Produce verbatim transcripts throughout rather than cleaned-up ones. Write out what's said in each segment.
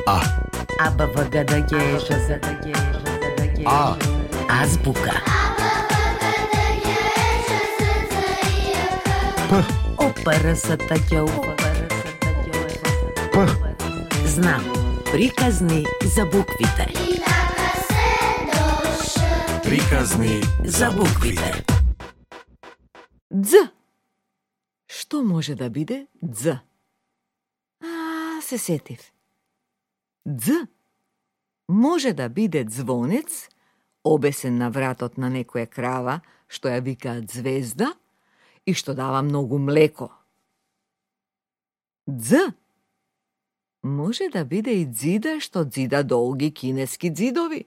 А. А, Б, В, Г, Д, Г, Ž, З, Д, Г, Ж, З, Д, Г. А. Азбука. П. О, П, Р, С, Т, Қ, У, П, Р, С, Т, Қ, У, П. Знам. Приказни за буквите. Приказни За буквите. Дз. Што може да биде дз? А, се сетив. Дз може да биде звонец, обесен на вратот на некоја крава, што ја викаат звезда и што дава многу млеко. Дз може да биде и дзида што дзида долги кинески дзидови.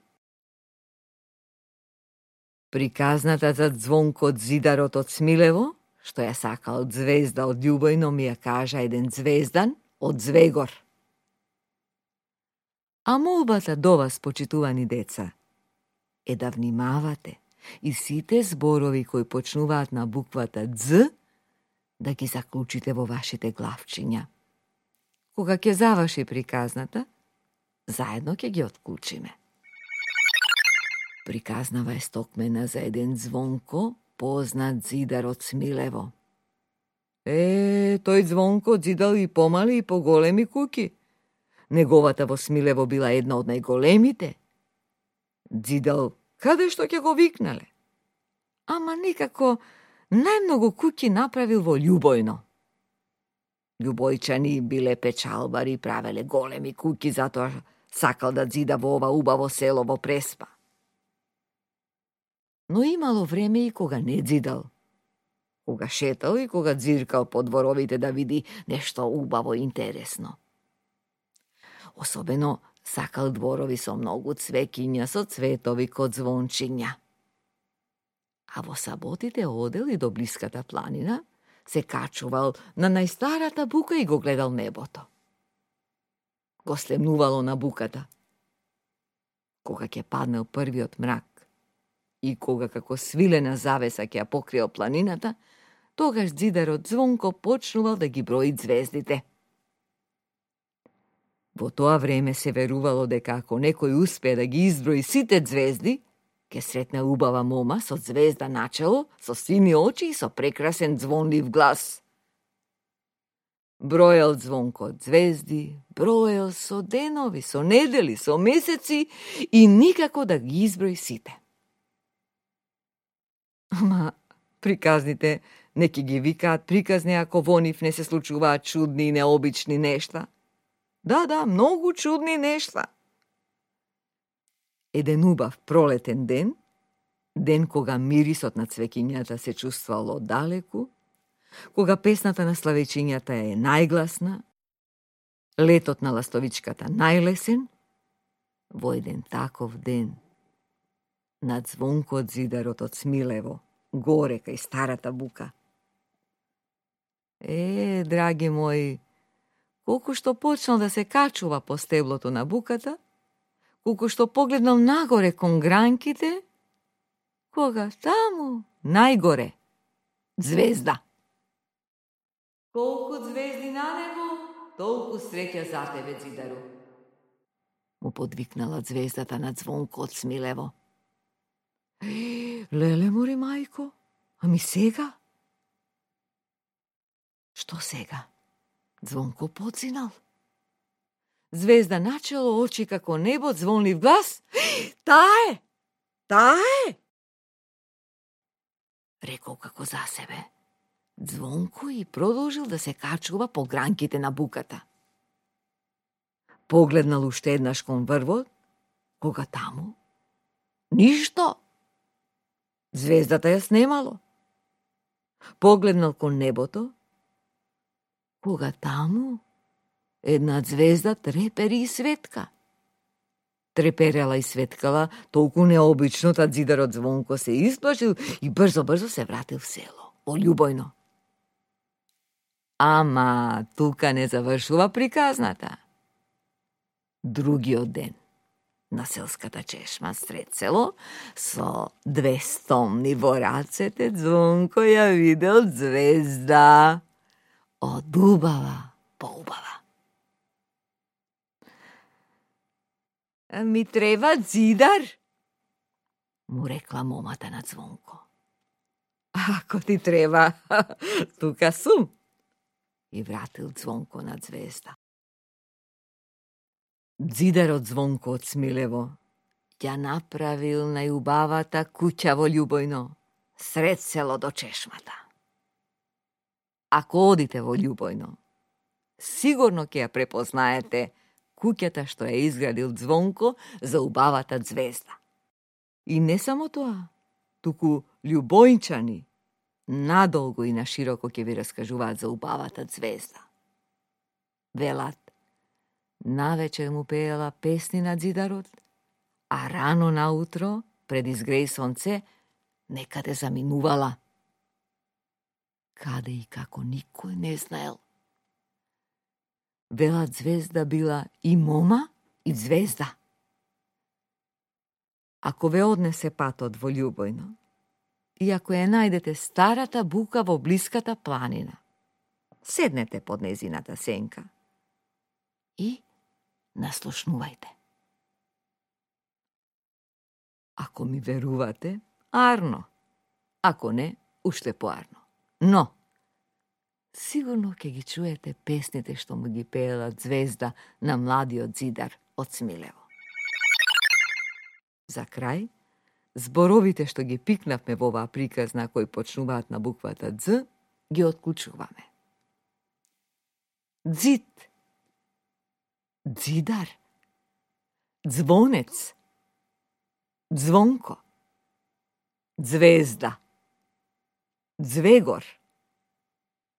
Приказната за Звонко дзидарот од Смилево, што ја сакал звезда од љубојно, ми ја кажа еден звездан од Звегор. А молбата до вас, почитувани деца, е да внимавате и сите зборови кои почнуваат на буквата Дз да ги заклучите во вашите главчиња. Кога ќе заврши приказната, заедно ќе ги отклучиме. Приказнава е стокмена за еден Звонко, познат зидар од Смилево. Е, тој Звонко дзидал и помали и поголеми куќи. Неговата во Смилево била една од најголемите. Дзидал каде што ќе го викнале. Ама никако најмногу куќи направил во Љубојно. Љубојчани биле печалбари, правеле големи куќи, затоа сакал да дзида во ова убаво село во Преспа. Но имало време и кога не дзидал. Кога шетал и кога дзиркал по дворовите да види нешто убаво и интересно. Особено сакал дворови со многу цвекиња, со цветови код звончиња. А во саботите одел и до блиската планина, се качувал на најстарата бука и го гледал небото. Го слемнувало на буката. Кога ќе паднал првиот мрак и кога како свилена завеса ќе ја покриел планината, тогаш дзидарот Звонко почнувал да ги брои звездите. Во тоа време се верувало дека ако некој успее да ги изброи сите звезди, ќе сретне убава мома со звезда начело, со сини очи и со прекрасен звонлив глас. Броел Звонко звезди, броел со денови, со недели, со месеци и никако да ги изброи сите. Ама приказните неки ги викаат приказни ако во нив не се случуваат чудни и необични нешта. Да, да, многу чудни нешта. Еден убав пролетен ден, ден кога мирисот на цвекињата се чувствувало далеку, кога песната на славечињата е најгласна, летот на ластовичката најлесен, во еден таков ден, над Звонко дзидарот од Смилево, горе кај старата бука. Е, драги мои, колку што почнал да се качува по стеблото на буката, колку што погледнал нагоре кон гранките, кога таму, најгоре, звезда. Колку звезди на небо, толку среќа за тебе, дзидару. Му подвикнала звездата на Звонко од Смилево. Леле мори, мајко, ами сега? Што сега? Звонко подзинал. Звезда начело, очи како небо, звонлив глас. Таа е! Таа е! Рекол како за себе. Звонко и продолжил да се качува по гранките на буката. Погледнал уште еднаш кон врвот, кога таму ништо. Звездата ја снемало. Погледнал кон небото, кога таму една звезда трепери и светка. Треперела и светкала толку необично, та дзидарот Звонко се исплашил и брзо-брзо се вратил в село, во Љубојно. Ама тука не завршува приказната. Другиот ден, на селската чешма сред село, со две стомни во рацете, Звонко ја видел звезда. Од убава по убава. Ми треба дзидар, му рекла момата на Звонко. Ако ти треба, тука сум, и вратил Звонко на Звезда. Дзидарот Звонко од Смилево ја направил најубавата куќа во Љубојно, сред село до чешмата. Ако одите во Љубојно, сигурно ќе ја препознаете куќата што ја изградил Звонко за убавата Звезда. И не само тоа, туку љубојнчани надолго и на широко ќе ви раскажуваат за убавата Звезда. Велат, навечер му пеела песни на дзидарот, а рано наутро, пред изгреј сонце, некаде заминувала. Каде и како никој не знаел. Велат Звезда била и мома, и звезда. Ако ве однесе патот во Љубојно, и ако ја најдете старата бука во блиската планина, седнете под незината сенка и наслушнувајте. Ако ми верувате, арно. Ако не, уште поарно. Но, сигурно ќе ги чуете песните што му ги пеела Звезда на младиот зидар од Смилево. За крај, зборовите што ги пикнавме во оваа приказна кои почнуваат на буквата Дз, ги отклучуваме. Дзид, дзидар, звонец, Звонко, Звезда, Звегор,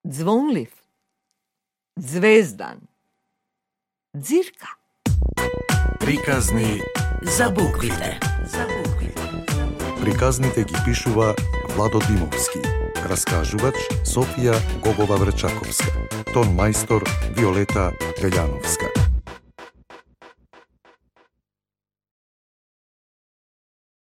Звонлив, Звездан, Дзирка. Приказни За буквите. За буквите. Приказните ги пишува Владо Димовски. Раскажувач Софија Гогова Врчаковска. Тон мајстор Виолета Велјановска.